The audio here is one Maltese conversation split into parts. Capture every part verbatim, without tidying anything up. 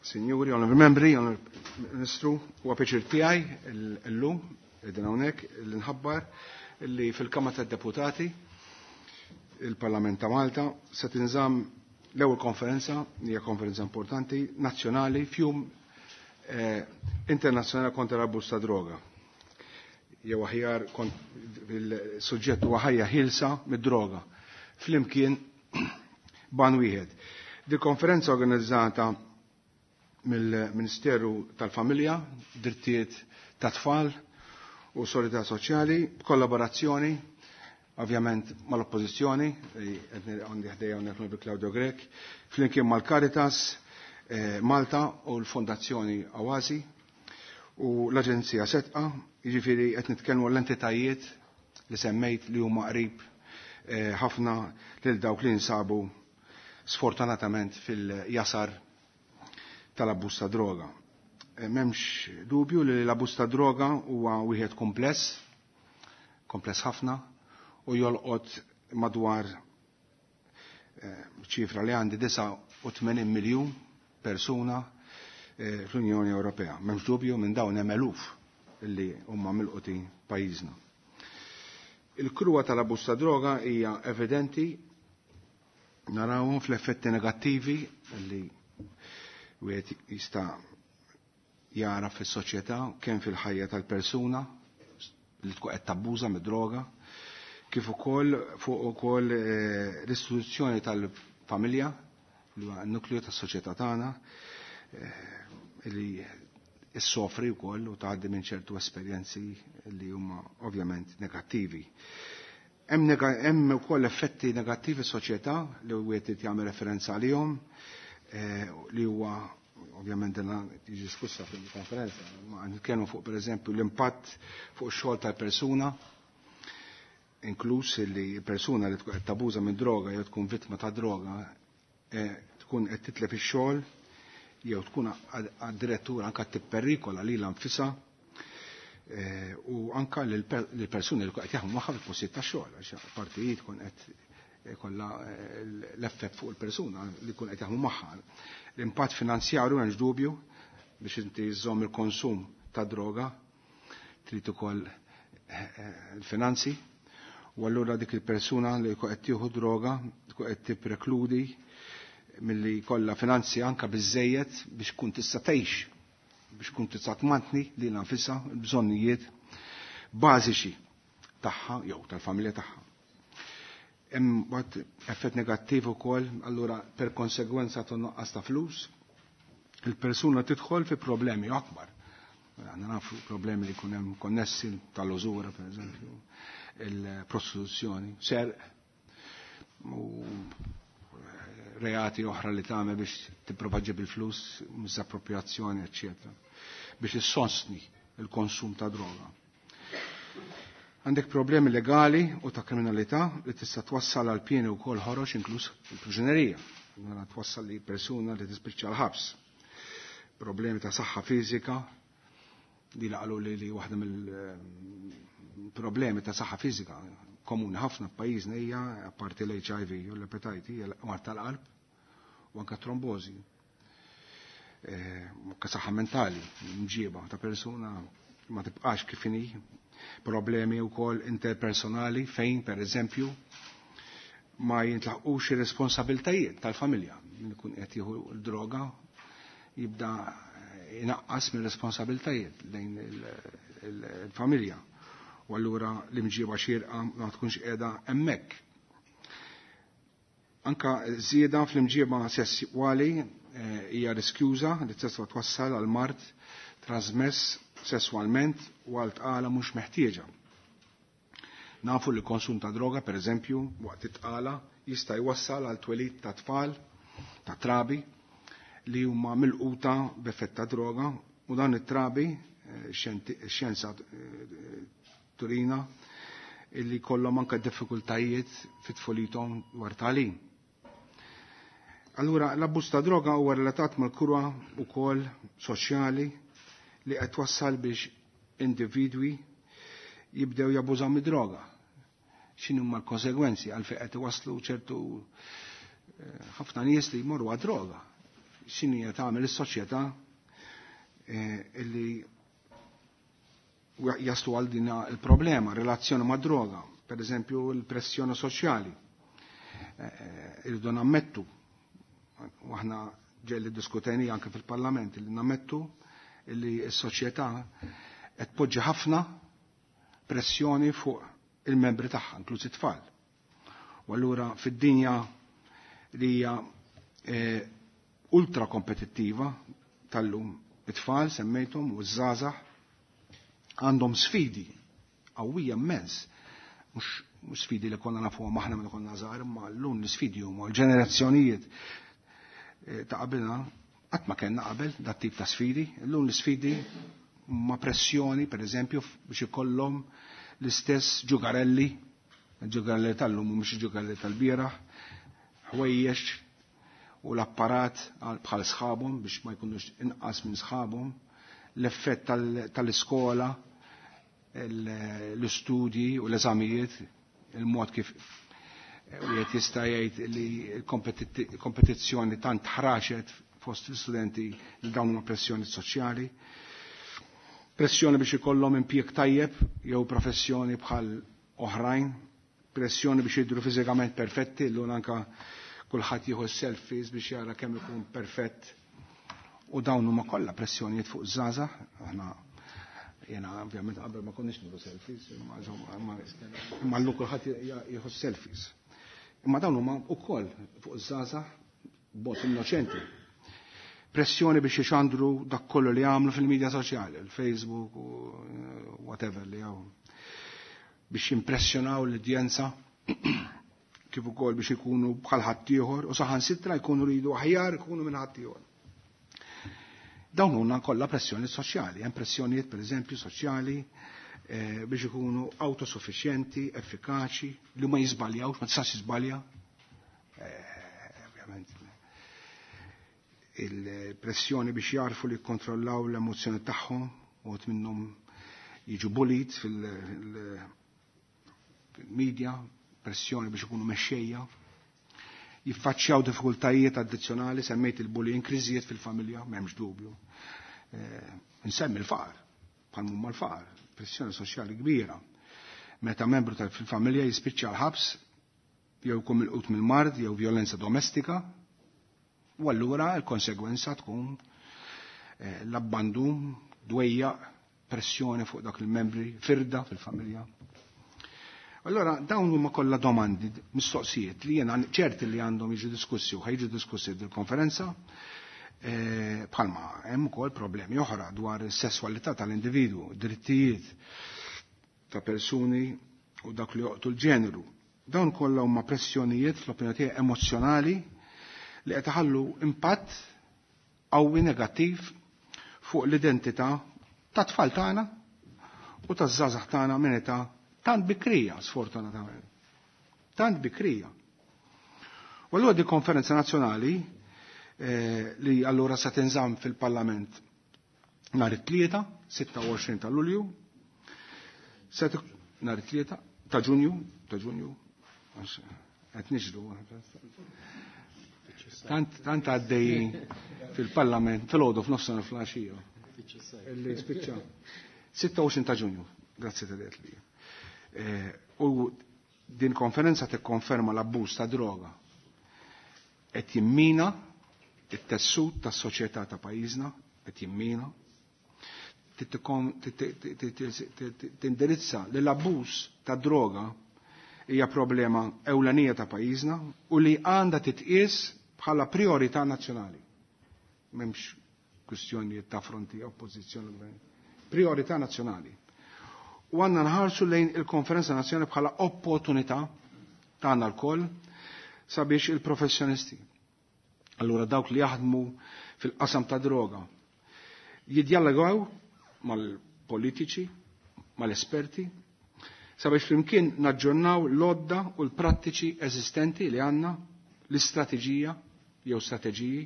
Signori, Onorevoli Membri, Onorevoli Ministru, huwa pjaċir tiegħi llum qegħdin hawnhekk li nħabbar li fil-Kamra tad-Deputati il-Parlament ta' Malta se tinżamm l-ewwel konferenza, hija konferenza importanti, nazzjonali fjum eh, internazzjonali kontra l-abbuż ta' droga. Jew aħjar il-suġġett huwa ħajja ħilsa mid-droga. Flimkien ban wieħed. Di konferenza organizzata mill-Ministeru tal-Familja, Drittijiet ta' Tfal u Solidarietà Soċjali, b'kollaborazzjoni ovvjament mal-Oppożizzjoni, għandi ħdejja hawnhekk bi Claudio Grech, flimkien mal-Caritas eh, Malta u l-Fondazzjoni Awasi u l-Aġenzija Setqa, jiġifieri qed nitkellmu l-entitajiet li semmejt li huma qrib eh, ħafna lil dawk li nsabu sfortunatament fil-jasar tal-abbuż ta' droga. Eh, m'hemmx dubju li l-abbuż ta' droga huwa wieħed kompless, kompless ħafna, u jolqot madwar eh, ċifra li għandi disgħa u tmenin miljun persuna eh, fl-Unjoni Ewropea. M'hemmx dubju minn dawn hemm eluf li huma milqutin pajjiżna. Il-kruwa tal-abbuż ta' droga hija evidenti, narawhom fl-effetti negattivi li wieħed jista' jara fis-soċjetà kemm fil-ħajja tal-persuna li tkun qed tabbuża mid-droga, kif ukoll fuq ukoll eh, l-istituzzjoni tal-familja li huwa n-nukleu tas-soċjetà tagħna eh, li issofri wkoll u tgħaddi minn ċertu esperjenzi li huma ovvjament negattivi. Hemm ukoll effetti negattivi soċjetà li wieħed jagħmel referenza għalihom eh, li huwa ovvjament dina tiġi diskussa fil-konferenza, ma nitkellmu fuq pereżempju l-impatt fuq ix-xogħol tal-persuna, inkluż li persuna li tkun qed tabuża minn droga jew tkun vittma ta' droga eh, tkun qed titlef ix-xogħol jew tkun addirittura anke tipperikola lilha nfisha eh, u anke lill-persuni li qed jaħdmu magħha fil-postijiet tax-xogħol, għax partijiet tkun qed kollha eh, l-effett fuq il-persuna li jkun qed jaħdmu magħha. L-impatt finanzjarju m'hemmx dubju biex inti żżomm il-konsum ta' droga trid ukoll eh, il-finanzi, u allura dik il-persuna li jkun qed tieħu droga tkun qed tipprekludi milli kollha finanzi anka biżejjed biex tkun tista' tgħix, biex tkun tista' tmantni lilha nfisha l-bżonnijiet bażiċi tagħha jew tal-familja tagħha. Hemm mbagħad effett negattiv ukoll, allura per konsegwenza ta' nuqqas ta' flus, il-persuna tidħol fi problemi akbar. Għandna nafu problemi li jkun hemm konnessi tal-użura, per eżempju, il-prostituzzjoni, serq u reati oħra li tagħmel biex tipprova ġġib il-flus, misappropriazzjoni, eċċetera, biex issostni il-konsum ta' droga. Għandek problemi legali u ta' kriminalità li tista' twassal għal pieni wkoll ħorox inkluż il-priġunerija. Mela twassal li persuna li tispiċċa l-ħabs. Problemi ta' saħħa fiżika, li laqgħu li, li waħda mill-problemi ta' saħħa fiżika komuni ħafna f'pajjiżna hija apparti l-H I V u l-epetajti hija l-mard tal-qalb u anke trombożi. Eh, anke saħħa mentali, mġieba ta' persuna ma tibqax kif inhi, problemi wkoll interpersonali fejn pereżempju ma jintlaqqux ir-responsabiltajiet tal-familja. Min ikun qed jieħu l-droga jibda inaqqas mir-responsabiltajiet lejn il-familja. U allura l-imġiba xierqa ma tkunx qiegħda hemmhekk. Anka żieda fl-imġiba sesswali, eh, hija riskjuża li tista' twassal għal mard trasmess sesswalment u għal tqala mhux meħtieġa. Nafu li konsum ta' droga, per eżempju, waqt it-tqala jista' jwassal għal twelid ta' tfal, ta' trabi, li huma milquta b'effett ta' droga, u dan it-trabi, eh, xjenza, eh, turina, illi kollhom anke diffikultajiet fit-tfulithom dwar tagħlim. Allura, l-abbuż ta' droga huwa relatat mal-kurwa wkoll soċjali li qed twassal biex individwi jibdew jabbużaw mid-droga. X'inhu huma l-konsegwenzi għalfejn qed iwasslu ċertu, eh, ħafna nies li jmorru għad-droga. x'inhija tagħmel is-soċjetà illi jaslu għal din il-problema, relazzjoni ma' droga, per eżempju l-pressjoni soċjali. Irridu nammettu, u aħna ġelli diskuteni anke fil-Parlament, li nammettu li s-soċjetà qed tpoġġi ħafna pressjoni fuq il-membri tagħha, inkluż it-tfal. U allura fid-dinja li hija ultra kompetittiva tal-lum, it-tfal semmejthom u ż-żgħażagħ għandhom sfidi qawwija immens, mhux sfidi li konna nafuhom aħna meta konna żgħar, imma llum l-isfidi huma l-ġenerazzjonijiet ta' qabilna qatt ma kellna qabel dat tip ta' sfidi. Illum l-isfidi ma' pressjoni, per eżempju, biex ikollhom l-istess ġugarelli, ġugarelli tal-lum u mhux ġugarelli tal-bieraħ, ħwejjex u l-apparat bħal sħabhom biex ma jkunux inqas minn sħabhom, l-effett tal-iskola, l-istudji u l-eżamijiet, il-mod kif wieħed jista' jgħid li l-kompetizzjoni tant ħraxet fost l-istudenti li dawn huma pressjoni soċjali. Pressjoni biex ikollhom impjieg tajjeb jew professjoni bħal oħrajn, pressjoni biex jidhru fiżikament perfetti, llum anke kulħadd jieħu selfies biex jara kemm ikun perfett. U dawn huma kollha pressjonijiet fuq żgħażagħ, aħna jiena ovvjament qabel ma konniex nieħdu selfies, imma llum kulħadd jieħu selfies. Imma dawn huma wkoll fuq żgħażagħ b'mod innoċenti. Pressjoni biex ixandru dak kollu li għamlu fil-medja soċjali, il-Facebook u whatever li hawn, biex jimpressjonaw l-udjenza kif ukoll biex ikunu bħal ħaddieħor u saħansitra jkunu ridu aħjar ikunu minn ħaddieħor. Dawn huma kollha pressjoni soċjali, hemm pressjonijiet pereżempju soċjali biex ikunu autosuffiċjenti, effikaċi, li ma jiżbaljawx, ma tistax jiżbalja. Ovvjament il-pressjoni biex jarfu li jikkontrollaw l-emozzjoni tagħhom, u minnhom jiġu bullied fil-medja, pressjoni biex ikunu mexxejja, jiffaċċjaw diffikultajiet addizzjonali, semmejt il-bullying, kriżijiet fil-familja, m'hemmx dubju. Nsemmi l-faqar, bħal mhuma l-faqar, pressjoni soċjali kbira. Meta membru tal-familja jispiċċa l-ħabs, jew jkun milqut mill-mard, jew violenza domestika, u allura l-konsegwenza tkun l-abbandun, dwejjaq, pressjoni fuq dak il-membri, firda fil-familja. Allora dawn huma kollha domandi, mistoqsijiet li jiena ċerti li għandhom jiġu diskussi u ħajġu diskussi fil-konferenza, bħalma hemm ukoll problemi oħra dwar is-sesswalità tal-individwu, drittijiet ta' persuni u dak li joqtu l-ġeneru. Dawn kollha huma pressjonijiet fl-opinjoni tiegħi emozzjonali li qed iħallu impatt qawwi negattiv fuq l-identità ta' tfal tagħna u taż-żgħażagħ tagħna minn età tant bikrija, sfortunatament. Tant bikrija. U allura di konferenza nazzjonali li allura se tinżamm fil-Parlament nhar it-tlieta, sitta u għoxrin ta' Lulju, nhar it-tlieta ta' Ġunju, ta' Ġunju, qed niġru. Tant tant għaddej fil-Parlament fil-għodu f'nofsinhar fl-għaxija. Illi spiċċa. sitta u għoxrin ta' Ġunju, grazzi ta' li. U din konferenza tikkonferma l-abbuż ta' droga qed jimmina it-tessut tas-soċjetà ta' pajjiżna, qed jimmina, tindirizza li l-abbuż ta' droga hija problema ewlenija ta' pajjiżna u li għandha titqies bħala priorità nazzjonali. M'hemmx kwistjonijiet ta' fronti oppożizzjoni gvern. Priorità nazzjonali. U għandna nħarsu lejn il-konferenza nazzjonali bħala opportunità tagħna lkoll sabiex il-professjonisti. Allura dawk li jaħdmu fil-qasam ta' droga jiddialogaw mal-politiċi, mal-esperti, sabiex flimkien naġġornaw l-odda u l-prattiċi eżistenti li għandna, l-istrateġija jew strateġiji,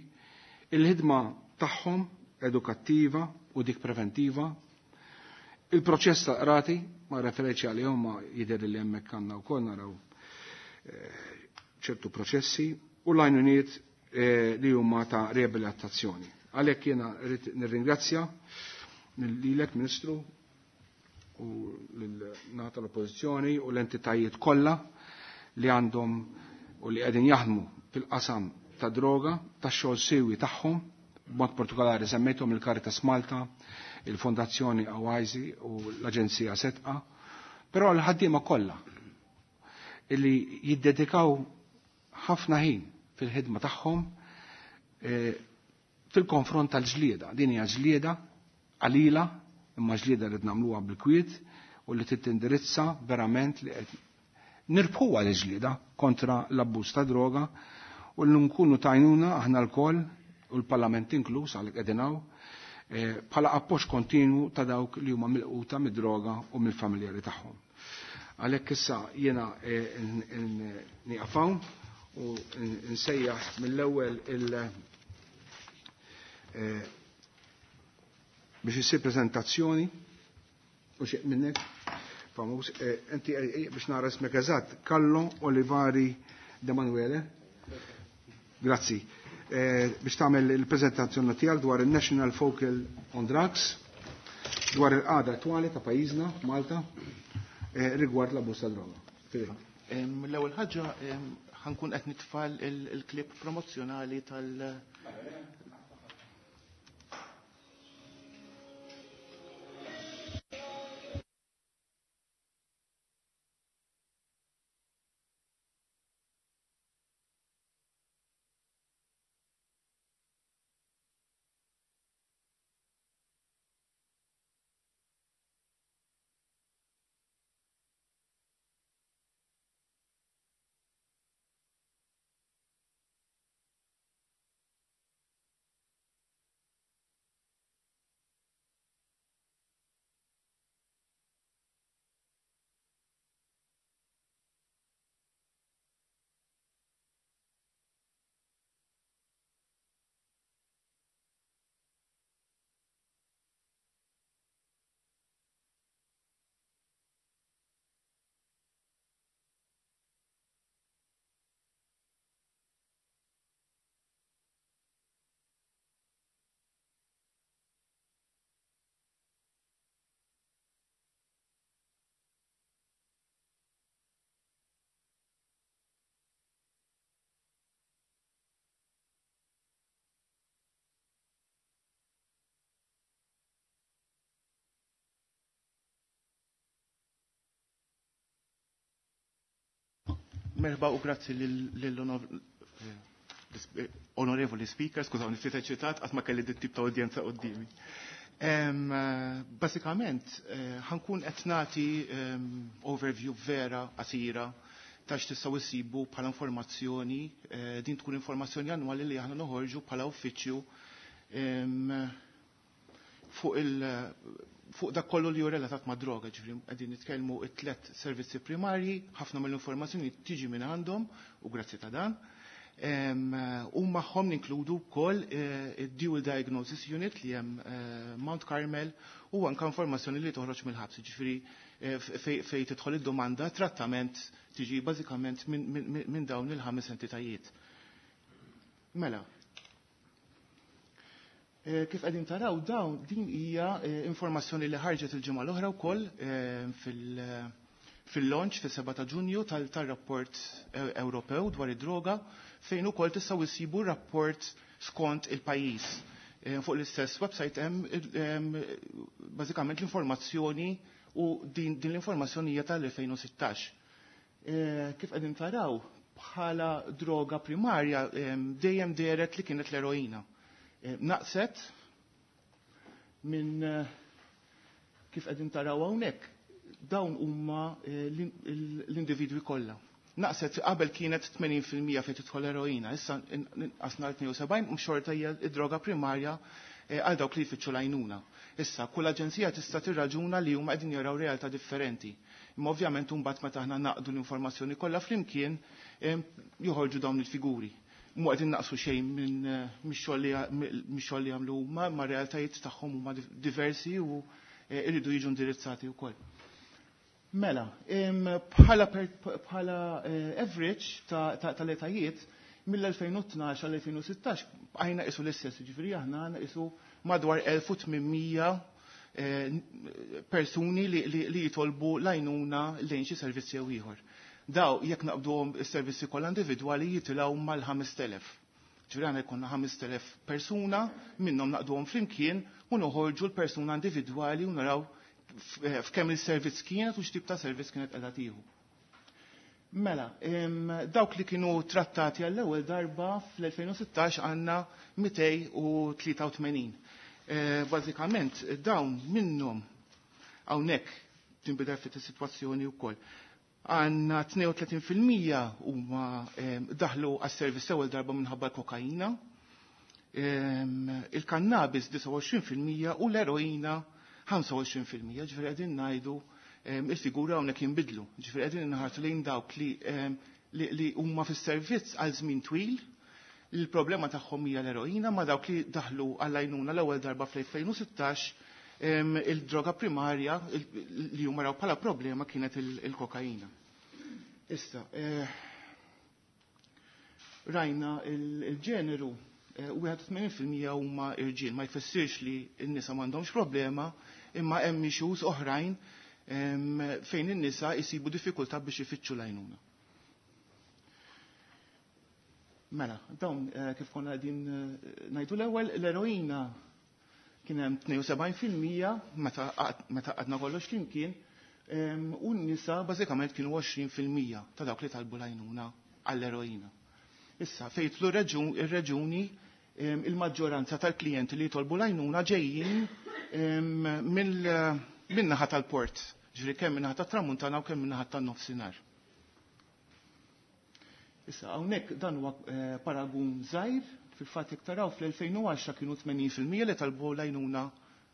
il-ħidma tagħhom edukattiva u dik preventiva, il-proċess ta' qrati, ma referenċi għalihom ma jidher li hemmhekk għandna wkoll naraw ċertu proċessi, u l-għajnuniet li huma ta' riabilitazzjoni. Għalhekk jiena rrid nirringrazzja lilek Ministru u lil-nata l-Oppożizzjoni u l-entitajiet kollha li għandhom u li qegħdin jaħdmu fil-qasam ta' droga, ta' xogħol siwi tagħhom, b'mod partikolari semmejthom il-Caritas Malta, il-Fondazzjoni Awajzi u l-Aġenzija Setqa, però l-ħaddiema kollha illi jiddedikaw ħafna ħin fil-ħidma tagħhom fil-konfront tal-ġlieda. Din hija ġlieda qalila, imma ġlieda li nagħmluha bil-kwiet u li titindirizza verament li qed nirbħuha l-ġlieda kontra l-abbuż ta' droga u li nkunu tajnuna aħna lkoll u l-Parlament inkluż għalhekk qegħdin hawn bħala appoġġ kontinwu ta' dawk li huma milquta mid-droga u mill-familjari tagħhom. Għalhekk issa jiena nieqaf hawn u nsejjaħ mill-ewwel il biex issir prezentazzjoni u xi minnek famuż inti biex nara ismek eżatt Carlo Olivari De Manuele. Grazzi. Biex tagħmel il-preżentazzjoni tiegħek dwar il-National Focal on Drugs, dwar il-qagħda attwali ta' pajjiżna Malta rigward l-abbuż ta' droga. L-ewwel ħaġa ħankun qed nitfal il-klip promozzjonali tal- Merħba u grazzi lill-onorevoli speaker, skużawni, ftit eċitat, qatt ma kelli dit tip ta' udjenza qudiemi. Basikament, ħankun qed nagħti overview vera qasira ta' x'tistgħu issibu bħala informazzjoni, din tkun informazzjoni annwali li aħna noħorġu bħala uffiċċju fuq il fuq dak kollu li hu relatat ma' droga, ġifieri qegħdin nitkellmu t-tliet servizzi primarji, ħafna mill-informazzjoni tiġi minn għandhom u grazzi ta' dan. U magħhom ninkludu wkoll id-Dual Diagnosis Unit li hemm Mount Carmel u anke informazzjoni li toħroġ mill-ħabs, ġifieri fejn tidħol id-domanda trattament tiġi bażikament minn dawn il-ħames entitajiet. Mela, kif qegħdin taraw dawn din hija informazzjoni li ħarġet il-ġimgħa l-oħra wkoll fil-launch fis-seba' ta' Ġunju tal-rapport Ewropew dwar id-droga fejn ukoll tistgħu issibu rapport skont il-pajjiż. Fuq l-istess website hemm bażikament l-informazzjoni u din l-informazzjoni hija tal-elfejn u sittax. Kif qegħdin taraw bħala droga primarja dejjem dehret li kienet l-eroina. Naqset minn kif qegħdin taraw hawnhekk dawn huma l-individwi kollha. Naqset qabel kienet tmenin fil-mija fejn tidħol eroina, issa inqasna tnejn u sebgħin u xorta hija d-droga primarja għal dawk li jfittxu l-għajnuna. Issa kull aġenzija tista' tirraġuna li huma qegħdin jaraw realtà differenti. Imma ovvjament imbagħad meta aħna naqdu l-informazzjoni kollha flimkien joħorġu dawn il-figuri. Mu qegħdin naqsu xejn minn mix-xogħol li jagħmlu huma, ma realtajiet tagħhom huma diversi u jridu jiġu indirizzati wkoll. Mela, bħala bħala average tal-etajiet Mill-elfejn u tnax għal elfejn u sittax bqajna qisu l-istess, ġifieri aħna għandna qisu madwar elf u tmien mija persuni li, li, li jitolbu l-għajnuna lejn xi servizzi jew ieħor. Daw jekk naqbduhom is-servizzi kollha individwali jitilgħu mal-ħamest elef. Ġifieri għandna jkollna ħamest elef persuna, minnhom naqduhom flimkien u noħorġu l-persuna individwali u naraw f'kemm il-servizz kienet u x'tip ta' servizz kienet qiegħda tieħu. Mela, dawk li kienu trattati għall-ewwel darba fl-elfejn u sittax għandna mitej u tlieta u tmenin. Bażikament dawn minnhom hawnhekk tinbidel ftit is-sitwazzjoni wkoll. Għandna tnejn u tletin fil-mija huma daħlu għas-servizz ewwel darba minħabba l-kokaina, il-kannabis disgħa u għoxrin fil-mija u l-eroina ħamsa u għoxrin fil-mija. Ġifieri qegħdin ngħidu il-figura hawnhekk jinbidlu. Ġifieri qegħdin inħarsu lejn dawk li, li, li huma fis-servizz għal żmien twil, il-problema tagħhom hija l-eroina, ma dawk li daħlu għall-għajnuna l-ewwel darba fl-elfejn u sittax, il-droga primarja li huma raw bħala problema kienet il-kokaina. Issa, eh, rajna il-ġeneru, eh, wieħed u tmenin fil-mija huma irġiel, ma jfissirx li n-nisa m'għandhomx problema, imma hemm issues oħrajn, em, fejn in-nisa jsibu diffikultà biex ifittxu l-għajnuna. Mela, dawn, eh, kif konna qegħdin, eh, ngħidu l-ewwel, l-eroina kien hemm tnejn u sebgħin fil-mija meta qad-, meta qadna kollox flimkien, em, u n-nisa bażikament kienu għoxrin fil-mija ta' dawk li talbu l-għajnuna għall-eroina. Issa, fejn jidħlu reġun-, ir-reġuni, em, il-maġġoranza tal-klijenti li jitolbu l-għajnuna ġejjin, em, mill-, min-naħa tal-port, ġifieri kemm min-naħa tat-tramuntana u kemm min-naħa tan-nofsinhar. Issa, hawnhekk dan huwa, eh, paragun żgħir, fil-fatt jekk taraw fl-elfejn u għaxra kienu tmenin fil-mija li talbu l-għajnuna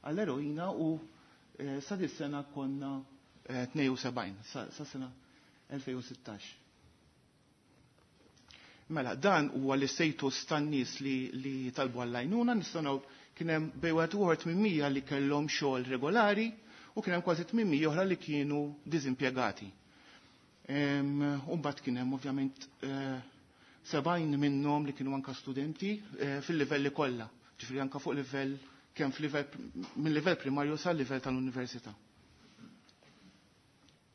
għall-eroina u, eh, sa dis-sena konna, eh, tnejn u sebgħin, sa, sa sena elfejn u sittax. Mela, dan huwa l-istatus tan-nies li, li talbu għall-għajnuna, nistgħu naraw kien hemm bejn wieħed u ieħor tmien mija li kellhom xogħol regolari u kien hemm kważi tmien mija oħra li kienu diżimpjegati. Em, u mbagħad kien hemm ovvjament, eh, sebgħin minnhom li kienu anka studenti, eh, fil-livelli kollha, ġifieri anka fuq livell kemm f'livell minn livell primarju sal livell tal-università.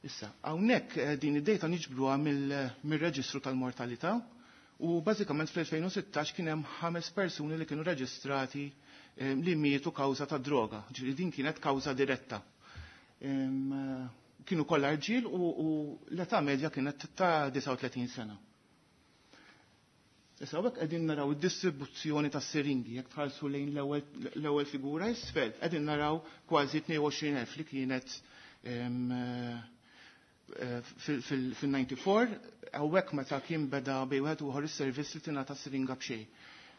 Issa, hawnhekk, eh, din id-data niġbruha mill-, mir-reġistru tal-mortalità u bażikament fl-elfejn u sittax kien hemm ħames persuni li kienu reġistrati, eh, li mietu kawża ta' droga, ġifieri din kienet kawża diretta. Em, eh, kienu kollha rġiel u, u l-età medja kienet ta' disgħa u tletin sena. Issa hawnhekk qegħdin naraw id-distribuzzjoni tas-siringi, jekk tħallsu lejn l-ewwel, l-ewwel figura isfel, qegħdin naraw kważi tnejn u għoxrin elf li kienet, em, eh, fil-, fil-, fil-ninety-four, hawnhekk meta kien beda bejn wieħed u ieħor is-servizz li tingħata siringa b'xejn.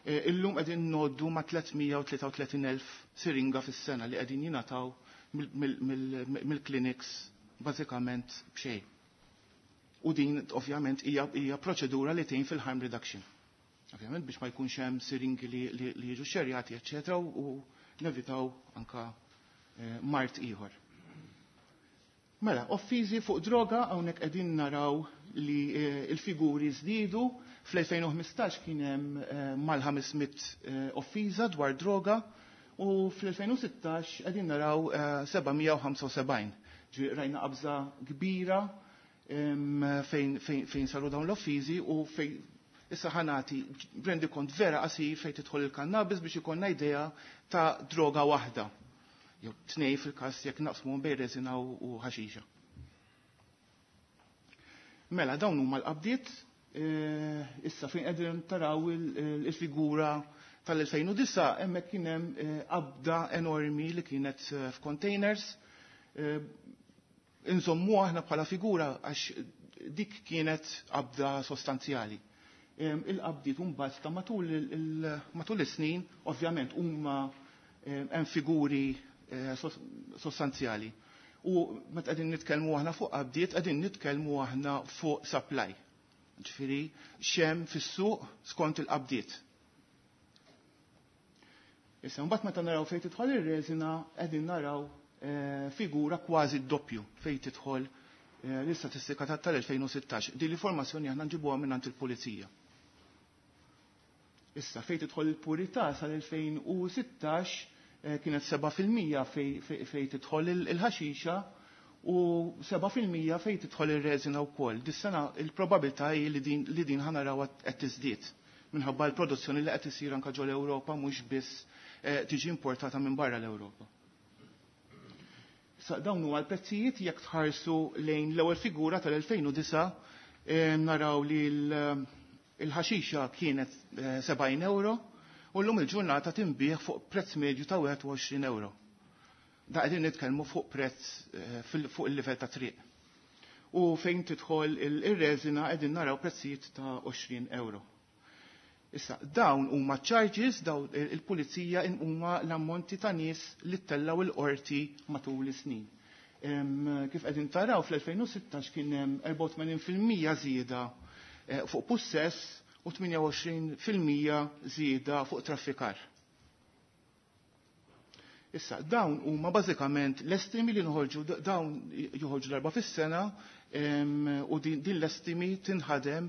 Eh, illum qegħdin ngħoddu ma' tliet mija u tlieta u tletin elf siringa fis-sena li qegħdin jingħataw mill-, mill-, mill-, mill-clinics bażikament b'xejn. U din ovvjament hija, hija proċedura li tgħin fil-harm reduction. Ovvjament biex ma jkunx hemm siringi li, li, li jiġu xerjati, eċċetera, u, u nevitaw anka, eh, mart ieħor. Mela, offiżi fuq droga hawnhekk qegħdin naraw li, eh, il-figuri żdiedu. Fl-elfejn u ħmistax kien hemm, eh, mal-ħames mitt, eh, offiża dwar droga u fl-elfejn u sittax qegħdin naraw, eh, seba' mija u ħamsa u sebgħin. Ġifieri rajna qabża kbira, em, fejn, fejn, fejn saru dawn l-offiżi u fejn issa ħanati rendi kont vera qasir fejn tidħol il-kannabis biex ikollna idea ta' droga waħda. Jew tnej fil-każ jekk naqsmu bejn reżina u, u ħaxixa. Mela, dawn huma l-qabdiet, eh, issa fejn qegħdin taraw il-, il-, il-figura tal-elfejn u disgħa, hemmhekk kien hemm, eh, qabda enormi li kienet, eh, f'containers. Eh, inżommu aħna bħala figura għax dik kienet qabda sostanzjali. Em, il-qabdiet mbagħad ta' matul il-, il-, matul is-snin, ovvjament huma, em, hemm figuri, eh, sos-, sostanzjali. U meta qegħdin nitkellmu aħna fuq qabdiet, qegħdin nitkellmu aħna fuq supply. Ġifieri x'hemm fis-suq skont il-qabdiet. Issa mbagħad meta naraw fejn tidħol ir-reżina qegħdin naraw, eh, figura kważi d-doppju fejn tidħol, eh, l-istatistika ta' tal-elfejn u sittax. Din l-informazzjoni aħna nġibuha mingħand il-pulizija. Issa fejn tidħol il-purità sal-elfejn u sittax kienet seba' fil-mija fejn tidħol il-ħaxixa u seba' fil-mija fejn tidħol ir-reżina wkoll. Dis-sena il-probabilità hi li din, li din ħa naraw qed tiżdied minħabba l-produzzjoni li qed isir anke ġol Ewropa mhux biss tiġi importata minn barra l-Ewropa. Sa dawn huwa l-prezzijiet jekk tħarsu lejn l-ewwel figura tal-elfejn u disa' naraw li l-ħaxixa kienet sebgħin euro u llum il-ġurnata tinbiegħ fuq prezz medju ta' wieħed u għoxrin euro. Da qegħdin nitkellmu fuq prezz fuq il-livell ta' triq. U fejn tidħol ir-reżina qegħdin naraw prezzijiet ta' għoxrin euro. Issa, dawn huma charges, dawn il-pulizija huma l-ammonti ta' nies li ttellaw il-qorti matul is-snin. Kif qegħdin taraw fl-elfejn u sittax kien hemm erbgħa u tmenin fil-mija żieda fuq pussess u tmienja u għoxrin fil-mija żieda fuq traffikar. Issa, dawn huma bażikament l-estimi li nħorġu, dawn joħorġu darba fis-sena, u din, din l-estimi tinħadem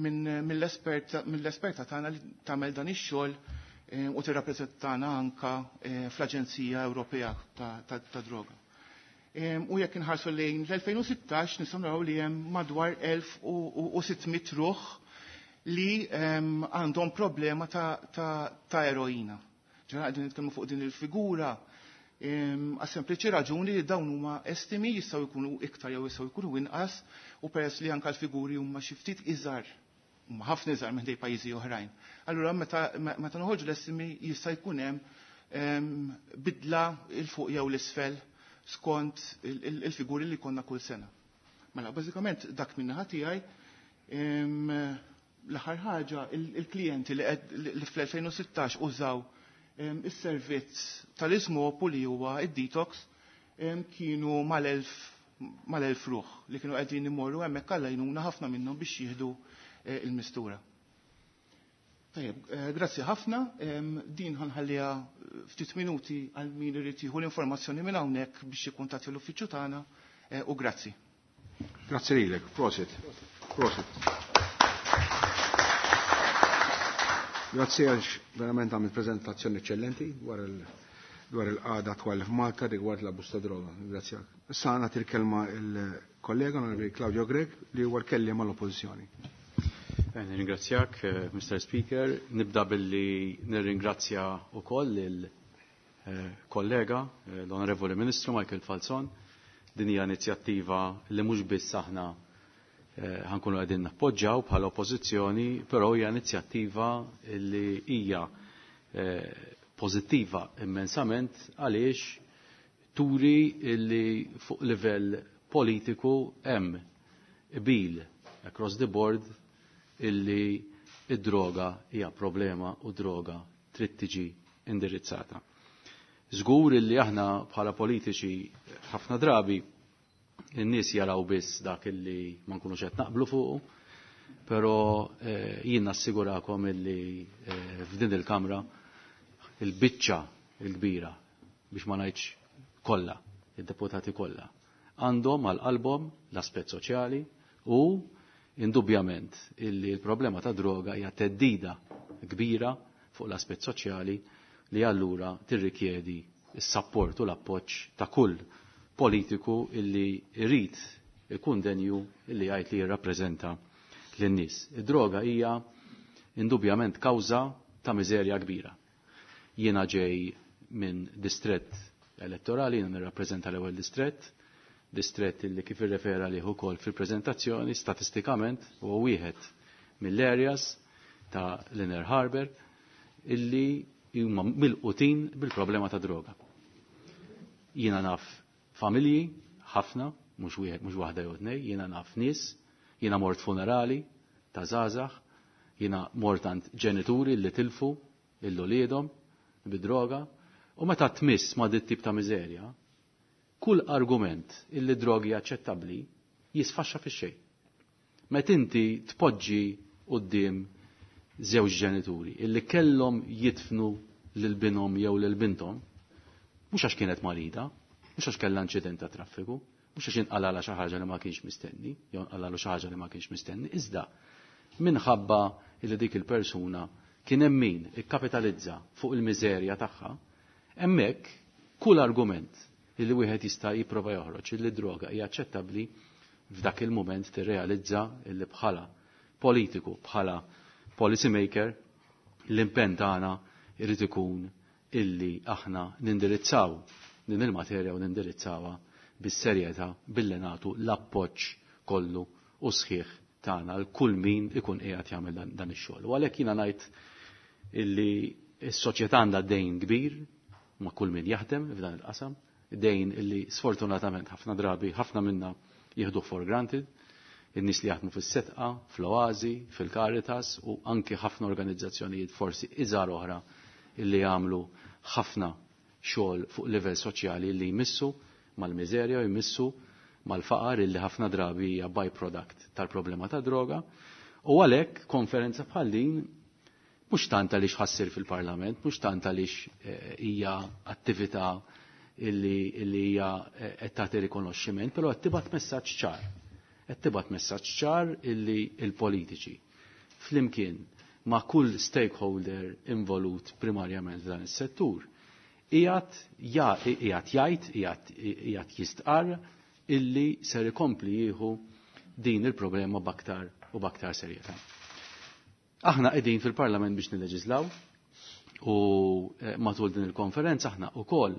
minn, mill-esperta, mill-esperta tagħna li tagħmel dan ix-xogħol u tirrappreżentana anka fl-Aġenzija Ewropea ta', ta', ta' Droga. U jekk inħarsu lejn l-elfejn u sittax nistgħu naraw li hemm madwar elf u sitt mitt ruħ li għandhom problema ta', ta', ta' eroina. Ġara qegħdin nitkellmu fuq din il-figura għas sempliċi raġuni li dawn huma estimi jistgħu jkunu iktar jew jistgħu jkunu inqas, u peress li anke l-figuri huma xi ftit iżgħar, huma ħafna iżgħar minn dej pajjiżi oħrajn. Allura meta, meta noħorġu l-estimi jista' jkun hemm bidla il fuq jew l-isfel skont il-, il-, il-figuri li konna kull sena. Mela, bażikament dak min-naħa tiegħi. L-aħħar ħaġa, il-klijenti li qed, li fl-elfejn u sittax użaw is-servizz tal-Ismopu li huwa id-detox kienu mal-elf, mal-elf ruħ li kienu qegħdin imorru hemmhekk għall-għajnuna ħafna minnhom biex jieħdu il-mistura. Tajjeb, grazzi ħafna. Din ħanħalliha ftit minuti għal min irid jieħu l-informazzjoni minn hawnhekk biex jikkuntatti l-uffiċċju tagħna, u grazzi. Grazzi lilek, prosit. Prosit. Grazzi għax verament għamilt prezentazzjoni eccellenti dwar il-, dwar il-qagħda attwali f'Malta rigward l-abbuż ta' droga. Grazzi. Issa nagħti l-kelma il-kollega Onorevoli Claudio Grech li huwa l-kelliem għall-Oppożizzjoni. Nirringrazzjak, Mister Speaker. Nibda billi nirringrazzja wkoll il-kollega, l-Onorevoli Ministru Michael Falzon. Din hija inizjattiva li mhux biss aħna ħankunu qegħdin nappoġġjaw bħala oppożizzjoni, però hija inizjattiva li hija pożittiva immensament għaliex turi li fuq livell politiku hemm qbil across the board illi id-droga hija problema u droga trid tiġi indirizzata. Żgur illi aħna bħala politiċi ħafna drabi in-nies jaraw biss dak illi ma nkunux qed naqblu fuqu, però jien nassigurakom illi f'din il-Kamra il-biċċa il-kbira, biex ma ngħidx kollha, id-deputati kollha, għandhom għal qalbhom l-aspett soċjali u indubjament illi l-problema ta' droga hija teddida kbira fuq l-aspett soċjali li allura tirrikjedi s-sapport u l-appoġġ ta' kull politiku illi jrid ikun denju illi jgħid li jirrappreżenta lin-nies. Id-droga hija indubjament kawża ta' miżerja kbira. Jiena ġej minn distrett elettorali, jiena nirrappreżenta l-ewwel distrett, distrett illi kif irrefera lih ukoll fil-preżentazzjoni statistikament huwa wieħed mill-areas ta' l-Inner Harbour illi huma milqutin bil-problema ta' droga. Jiena naf familji ħafna, mhux wieħed, mhux waħda jew tnejn, jiena naf nies, jiena mort funerali ta' żgħażagħ, jiena mort għand ġenituri li tilfu lil uliedhom bid-droga, u meta tmiss ma' dit tip ta' miżerja, kull argument illi drogi aċċettabbli jisfaxxa fix-xejn. Meta inti tpoġġi quddiem żewġ ġenituri illi kellhom jidfnu lil binhom jew lil binthom, mhux għax kienet marida, mhux għax kellha inċident ta' traffiku, mhux għax inqalala xi ħaġa li ma kienx mistenni, jew inqalalu xi ħaġa li ma kienx mistenni, iżda minħabba illi dik il-persuna kien hemm min ikkapitalizza fuq il-miżerja tagħha, hemmhekk kull argument illi wieħed jista' jipprova joħroġ illi droga hija aċċettabbli f'dak il-mument tirrealizza illi bħala politiku, bħala policy maker, l-impenn tagħna irid ikun illi aħna nindirizzaw din il-materja u nindirizzawha bis-serjetà billi nagħtu l-appoġġ kollu u sħiħ tagħna għal kull min ikun qiegħed jagħmel dan, dan ix-xogħol. U għalhekk jiena ngħid illi s-soċjetà għandha dejn kbir ma' kull min jaħdem f'dan il-qasam, dejn illi sfortunatament ħafna drabi ħafna minna jieħdu for granted, in-nies li jaħdmu fis-Sedqa, fl-Oażi, fil-Caritas u anki ħafna organizzazzjonijiet forsi iżgħar oħra illi jagħmlu ħafna xogħol fuq livell soċjali li jmissu mal-miżerja u jmissu mal-faqar illi ħafna drabi hija byproduct tal-problema ta' droga. U għalhekk konferenza bħal din mhux tant għaliex ħa ssir fil-Parlament, mhux tant għaliex eh, hija attività illi illi hija eh, qed tagħti rikonoxximent, però qed tibgħat messaġġ ċar. Qed tibgħat messaġġ ċar illi l-politiċi flimkien ma' kull stakeholder involut primarjament f'dan is-settur qiegħed qiegħed jgħid, qiegħed jistqarr illi ser ikompli jieħu din il-problema b'aktar u b'aktar serjetà. Aħna qegħdin fil-Parlament biex nilleġislaw u eh, matul din il-konferenza aħna wkoll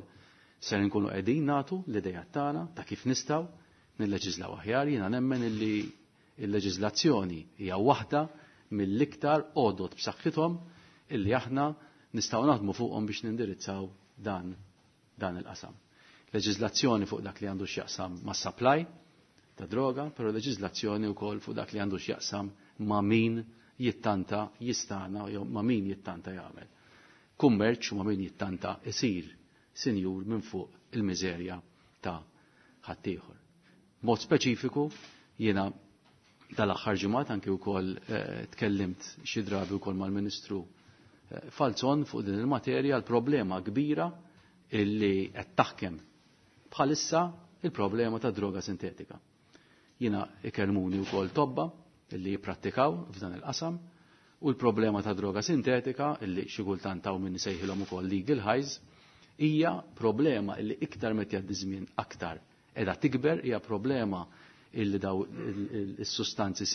ser nkunu qegħdin nagħtu l-idejat tagħna ta' kif nistgħu nilleġislaw aħjar. Jiena nemmen illi il-leġiżlazzjoni hija waħda mill-iktar għodot b'saħħithom illi aħna nistgħu naħdmu fuqhom biex nindirizzaw dan dan il-qasam. Leġiżlazzjoni fuq dak li għandu x'jaqsam ma' supply ta' droga, però leġiżlazzjoni wkoll fuq dak li għandu x'jaqsam ma' min jittanta jistana jew ma' min jittanta jagħmel kummerċ u ma' min jittanta isir sinjur minn fuq il-miżerja ta' ħaddieħor. Mod speċifiku jiena dal-aħħar ġimgħat anki wkoll eh, tkellimt xi drabi wkoll mal-Ministru eh, Falzon fuq din il-materja, l-problema kbira illi qed taħkem bħalissa, il-problema ta' droga sintetika. Jiena ikellmuni wkoll tobba illi jipprattikaw f'dan il-qasam u l-problema ta' droga sintetika, illi xi kultant hawn min isejħilhom ukoll legal highs, hija problema illi iktar meta jgħaddi żmien aktar qiegħda tikber, hija problema illi daw is-sustanzi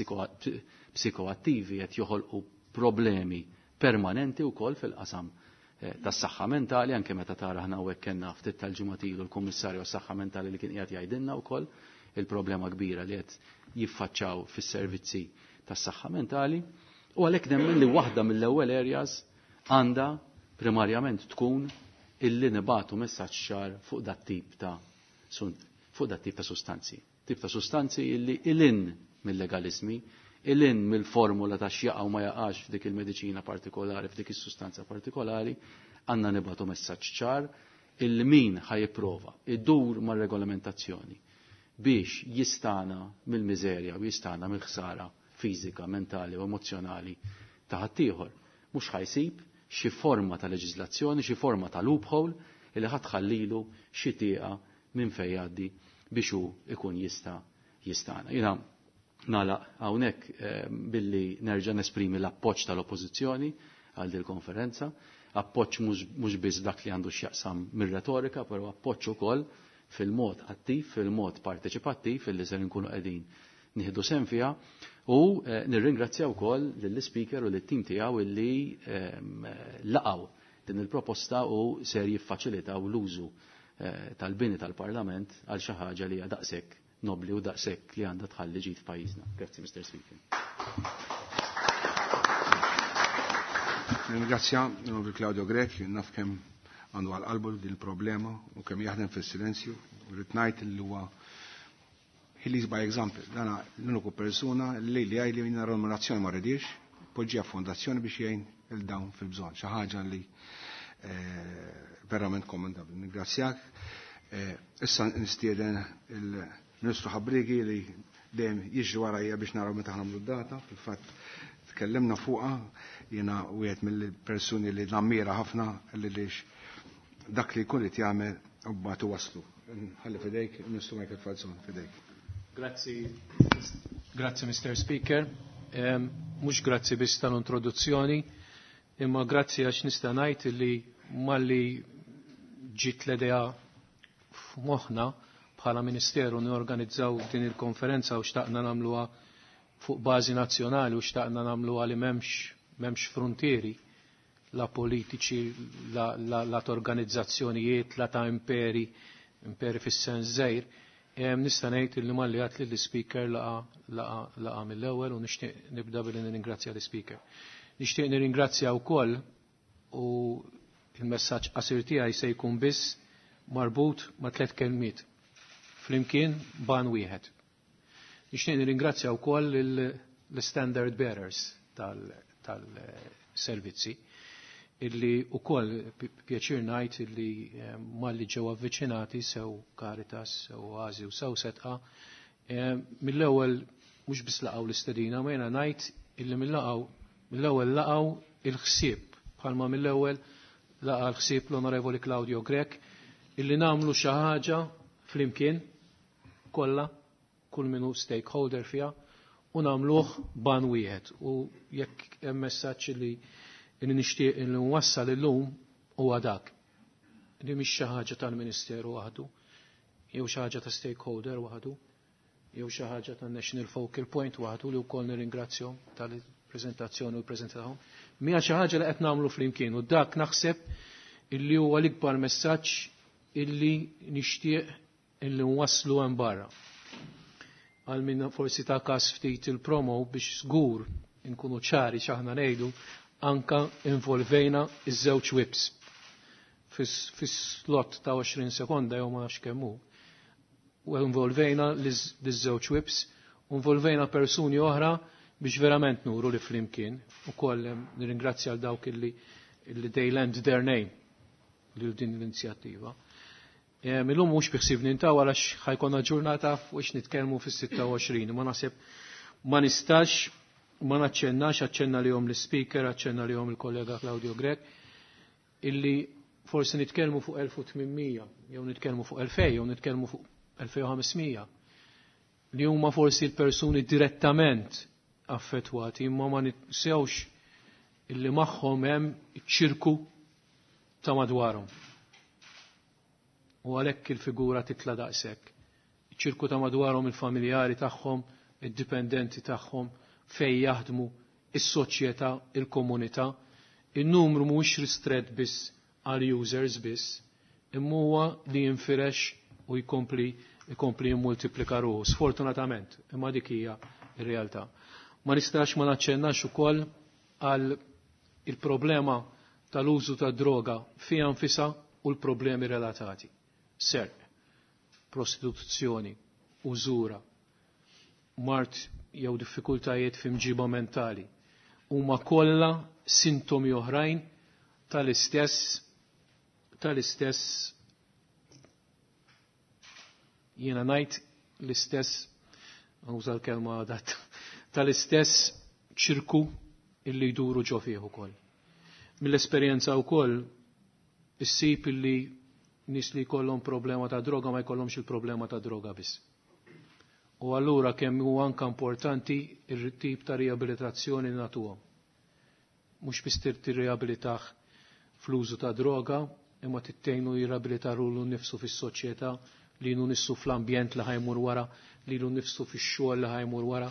psikoattivi qed joħolqu problemi permanenti wkoll fil-qasam eh, tas-saħħa mentali, anke meta tara aħna hawnhekk kellna ftit tal-ġimgħat ilu l-Kummissarju għas-Saħħa Mentali li kien qiegħed jgħidilna wkoll il-problema kbira li qed jiffaċċaw fis-servizzi tas-saħħa mentali. U għalhekk nemmen li waħda mill-ewwel areas għandha primarjament tkun illi nibatu messaġġ ċar fuq dat tip ta' fuq dat tip ta' sustanzi. Tip ta' sustanzi illi ilin mill-legalizmi, ilin mill-formula ta' x'jaqa' u ma jaqax f'dik il-mediċina partikolari, f'dik is-sustanza partikolari, għandna nibatu messaġġ ċar illi min ħa jipprova idur mar-regolamentazzjoni biex jistana mill-miżerja u jistana mill-ħsara fiżika, mentali u emozjonali ta' ħaddieħor, mhux ħa jsib xi forma ta' leġiżlazzjoni, xi forma ta' loophole illi ħa tħallilu xi tieqa minn fejn jgħaddi biex hu ikun jista' jistana. Jiena nagħlaq hawnhekk eh, billi nerġa' nesprimi l-appoġġ tal-Oppożizzjoni għal din konferenza, appoġġ mhux biss dak li għandu x'jaqsam mir-retorika, però appoġġ ukoll fil-mod attiv, fil-mod parteċipattiv illi ser nkunu qegħdin nieħdu sehem fiha u eh, nirringrazzja wkoll lill-speaker u lit-tim tiegħu illi ehm, laqgħu din il-proposta u ser jiffaċilitaw l-użu eh, tal-bini tal-Parlament għal xi ħaġa li hija daqshekk nobli u daqshekk li għandha tħalli ġid f'pajjiżna. Grazzi, Mister Speaker. Ringrazzja l Claudio Grech, naf kemm għandu għal qalbu din il-problema u kemm jaħdem fis-silenzju. Rrid ngħid li huwa he leads by example. Dana l-uniku persuna li li għaj li minna remunerazzjoni ma rridix, poġġija fondazzjoni biex jgħin il-dawn fil-bżonn. Xi ħaġa li eh, verament kommendabli. Ningrazzjak. Eh, issa nistieden il-Ministru Ħabriegi li dejjem jiġri warajja biex naraw meta ħa nagħmlu d-data. Fil-fatt tkellimna fuqha, jiena wieħed mill-persuni li nammira ħafna li lix dak li jkun qed jagħmel u mbagħad waslu. Ħalli fidejk, Ministru Michael Falzon, fidejk. Grazzi, grazzi Mister Speaker. Mhux grazzi biss tal-introduzzjoni, Imma grazzi għax nista' ngħid li malli ġiet l-idea f'moħħna bħala Ministeru norganizzaw din il-konferenza u xtaqna nagħmluha fuq bażi nazzjonali u xtaqna nagħmluha li m'hemmx m'hemmx frontieri, la politiċi, la, la, la ta' organizzazzjonijiet, la ta' imperi, imperi fis-sens żgħir. Nista' ngħid li malli għat li l-speaker laqa laqa laqa mill-ewwel u nixtieq nibda billi nirringrazzja l-speaker. Nixtieq nirringrazzja wkoll u il-messaġġ qasir tiegħi se jkun biss marbut ma' tliet kelmiet. Flimkien ban wieħed. Nixtieq nirringrazzja wkoll l-standard bearers tal-servizzi illi ukoll pjaċir ngħid illi malli ġew avviċinati sew Caritas, sew Oasi u sew Sedqa, mill-ewwel mhux biss laqgħu l-istedina, ma jiena ngħid illi mill-laqgħu mill-ewwel laqgħu il-ħsieb bħalma mill-ewwel laqa l-ħsieb l-Onorevoli Claudio Grech illi nagħmlu xi ħaġa flimkien kollha kull minu stakeholder fiha u nagħmluh ban wieħed. U jekk hemm messaġġ li li nixtieq li nwassal illum huwa dak. Li mhix xi ħaġa tal-Ministeru waħdu, jew xi ħaġa ta' stakeholder waħdu, jew xi ħaġa ta' National Focal Point waħdu li wkoll nirringrazzjahom tal-preżentazzjoni u l-preżenza tagħhom. Mija xi ħaġa li qed nagħmlu flimkien u dak naħseb illi huwa l-ikbar messaġġ illi nixtieq illi nwasslu hemm barra. Għal min forsi ta' kas ftit il-promo biex żgur inkunu ċari x'aħna ngħidu, anka involvejna iż-żewġ whips. Fis-slot ta' għoxrin sekonda jew ma nafx kemm hu. U involvejna l-żewġ whips, u involvejna persuni oħra biex verament nuru li flimkien. U koll nirringrazzja għal dawk illi, illi they lend their name lil din l-inizjattiva. Illum mhux biħsibni ntaw għalax ħajkonna ġurnata fuq nitkellmu fis-sitta u għoxrin, ma naħseb ma nistax ma naċċennax, aċċenna lihom l-speaker, aċċenna lihom il-kollega Claudio Grech, illi forsi nitkellmu fuq elf u tmien mija, jew nitkellmu fuq elfejn, jew nitkellmu fuq elfejn u ħames mija, li huma forsi l-persuni direttament affettwati, imma ma ninsewx illi magħhom hemm iċ-ċirku ta' madwarhom. U għalhekk il-figura titla' daqshekk. Iċ-ċirku ta' madwarhom, il-familjari tagħhom, id-dipendenti tagħhom, fej jaħdmu, is-soċjetà, il-komunità. Il-numru mhuwiex ristret biss għal users biss, imma huwa li jinfirex u jkompli jkompli jimmultiplika ruħu, sfortunatament, imma dik hija r-realtà. Ma nistax ma naċċennax ukoll għal il-problema tal-użu ta' droga fiha nfisha u l-problemi relatati. Serq, prostituzzjoni, użura, mard jew diffikultajiet f'imġiba mentali, huma kollha sintomi oħrajn tal-istess tal-istess jiena ngħid l-istess, uża l-kelma adatta, tal-istess ċirku illi jduru ġo fih ukoll. Mill-esperjenza wkoll issib illi nies li jkollhom problema ta' droga ma jkollhomx il-problema ta' droga biss. U allura kemm huwa anke importanti ir-tip ta' riabilitazzjoni li nagħtuhom. Mhux biss tirriabilitah fl-użu ta' droga, imma tittejnu jirriabilita lilu nnifsu fis-soċjetà, lilu nnifsu fl-ambjent li ħajmur wara, lilu nnifsu fix-xogħol li ħajmur wara.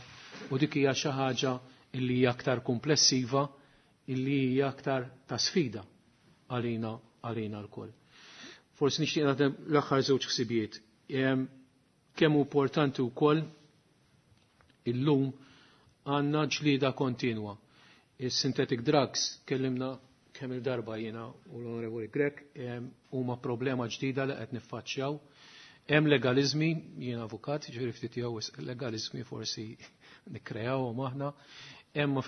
U dik hija xi ħaġa illi hija aktar komplessiva, illi hija aktar ta' sfida għalina għalina lkoll. Forsi nixtieq nagħti l-aħħar żewġ ħsibijiet. Kemm hu importanti wkoll illum għandna ġlieda kontinwa. Is-synthetic drugs kellimna kemm il-darba jiena u l-Onorevoli Grech, huma problema ġdida li qed niffaċċjaw. Hemm legalizmi, jiena avukat, ġifieri ftit jew legalizmi forsi nikkrejawhom aħna. Hemm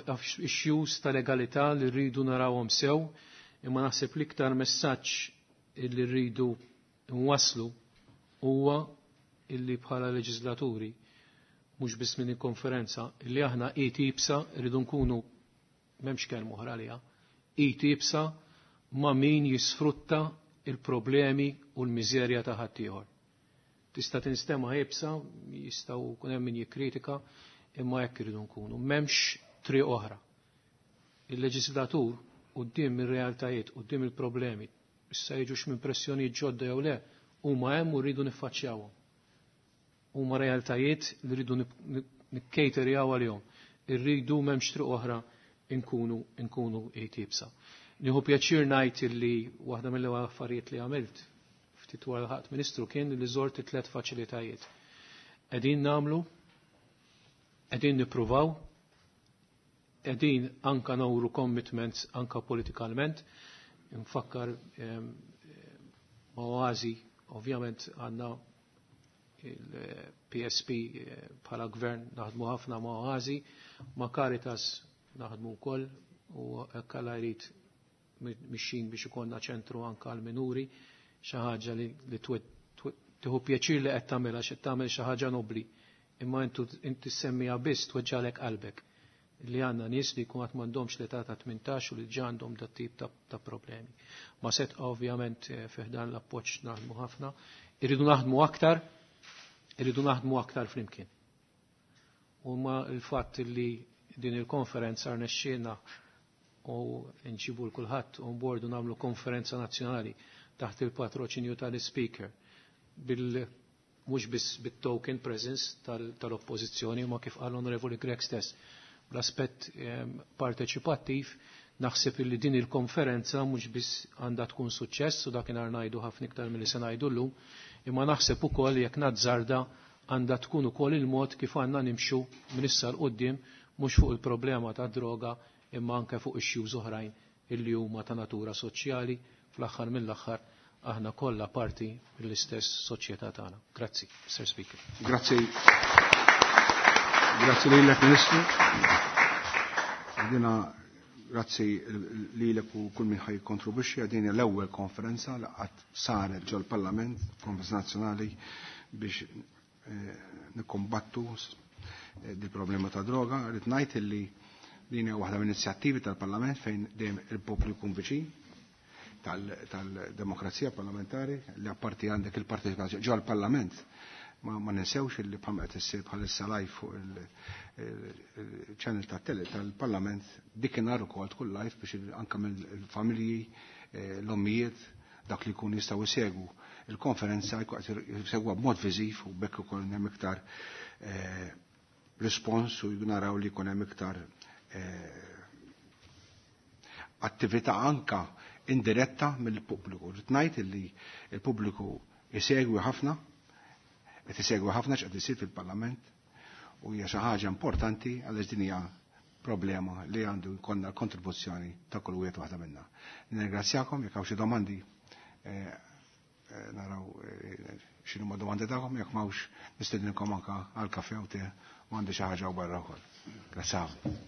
issues ta' legalità li rridu narawhom sew, imma naħseb l-iktar messaġġ li rridu nwasslu huwa illi bħala leġislaturi, mhux biss minn il-konferenza, illi aħna id iebsa rridu nkunu, m'hemmx kelma oħra għaliha, id iebsa ma' min jisfrutta il-problemi u l-miżerja ta' ħaddieħor. Tista' tinstema' iebsa, jistgħu jkun hemm min jikkritika, imma hekk irridu nkunu. M'hemmx triq oħra. Il-leġislatur quddiem ir-realtajiet, quddiem il-problemi, issa jiġux minn pressjonijiet ġodda jew le, huma hemm u rridu niffaċċjawhom. Huma realtajiet li rridu nikkejterjaw għalihom. Irridu m'hemmx triq oħra nkunu nkunu iebsa. Nieħu pjaċir ngħid illi waħda mill-ewwel affarijiet li għamilt ftit wara l-ħadd Ministru kien li żort tliet faċilitajiet. Qegħdin nagħmlu, qegħdin nippruvaw, qegħdin anka nuru commitments anka politikalment. Nfakkar ma' Oasi, ovvjament għandna il-P S P bħala gvern naħdmu ħafna ma' Oasi, ma' Caritas naħdmu wkoll u hekk Alla jrid mixin biex ikollna ċentru anka għal minuri, xi ħaġa li, li tieħu pjaċir li qed tagħmilha, xi tagħmel xi ħaġa nobli, imma intu inti semmiha biss tweġġalek qalbek li għandna nies li jkun għad m'għandhomx l-età ta' tmintax u li ġa għandhom dat tip ta', ta problemi. Ma set ovvjament fi ħdan l-appoġġ naħdmu ħafna, irridu naħdmu aktar, irridu naħdmu aktar flimkien. U ma il-fatt li din il-konferenza rnexxielna u nġibu l-kulħadd on board u nagħmlu konferenza nazzjonali taħt il-patroċinju tal-speaker bil mhux biss bit-token presence tal-oppożizzjoni, ma kif qal Onorevoli Grech stess, l-aspett parteċipattiv, naħseb li din il-konferenza mhux biss għandha tkun suċċess, u dakinhar ngħidu ħafna iktar milli se ngħidu llum, imma naħseb ukoll jekk nazzarda għandha tkun ukoll il-mod kif għandna nimxu minn issa 'l quddiem, mhux fuq il-problema ta' droga imma anke fuq issues oħrajn illi huma ta' natura soċjali. Fl-aħħar mill-aħħar aħna kollha parti mill-istess soċjetà tagħna. Grazzi, Sir Speaker. Grazzi. Grazzi lilek, Ministru. Dina grazzi lilek u kull min ħaj kontribwixxi. Din l-ewwel konferenza li qatt saret ġol-Parlament, konferenza nazzjonali biex eh, nikkombattu di problema ta' droga. Rrid ngħid illi din hija waħda mill-inizjattivi tal-Parlament fejn dejjem il-poplu jkun viċin tal-demokrazija parlamentari, li apparti għandek il-parteċipazzjoni ġol parlament ma, ma ninsewx li bħalma qed issir bħalissa live fuq il-channel tat-tele tal-Parlament, dik inhar ukoll tkun live biex anke mill-familji, l-ommijiet, dak li jkun jistgħu jsegwu il-konferenza jsegwa b'mod viżiv u bekk ukoll hemm iktar respons u naraw li jkun hemm iktar attività anka indiretta mill-pubbliku. Rrid ngħid illi il-pubbliku isegwi ħafna, qed isegwi ħafna x'qed isir fil-Parlament u hija xi ħaġa importanti għaliex din hija problema li għandu jkollna l-kontribuzzjoni ta' kull wieħed waħda minna. Nirringrazzjakom, jekk hawn xi domandi naraw x'inhuma domandi tagħkom, jekk m'hawnx nistedinkom anke għal kafè u te u għandi xi ħaġa barra wkoll. Grazzi ħafna.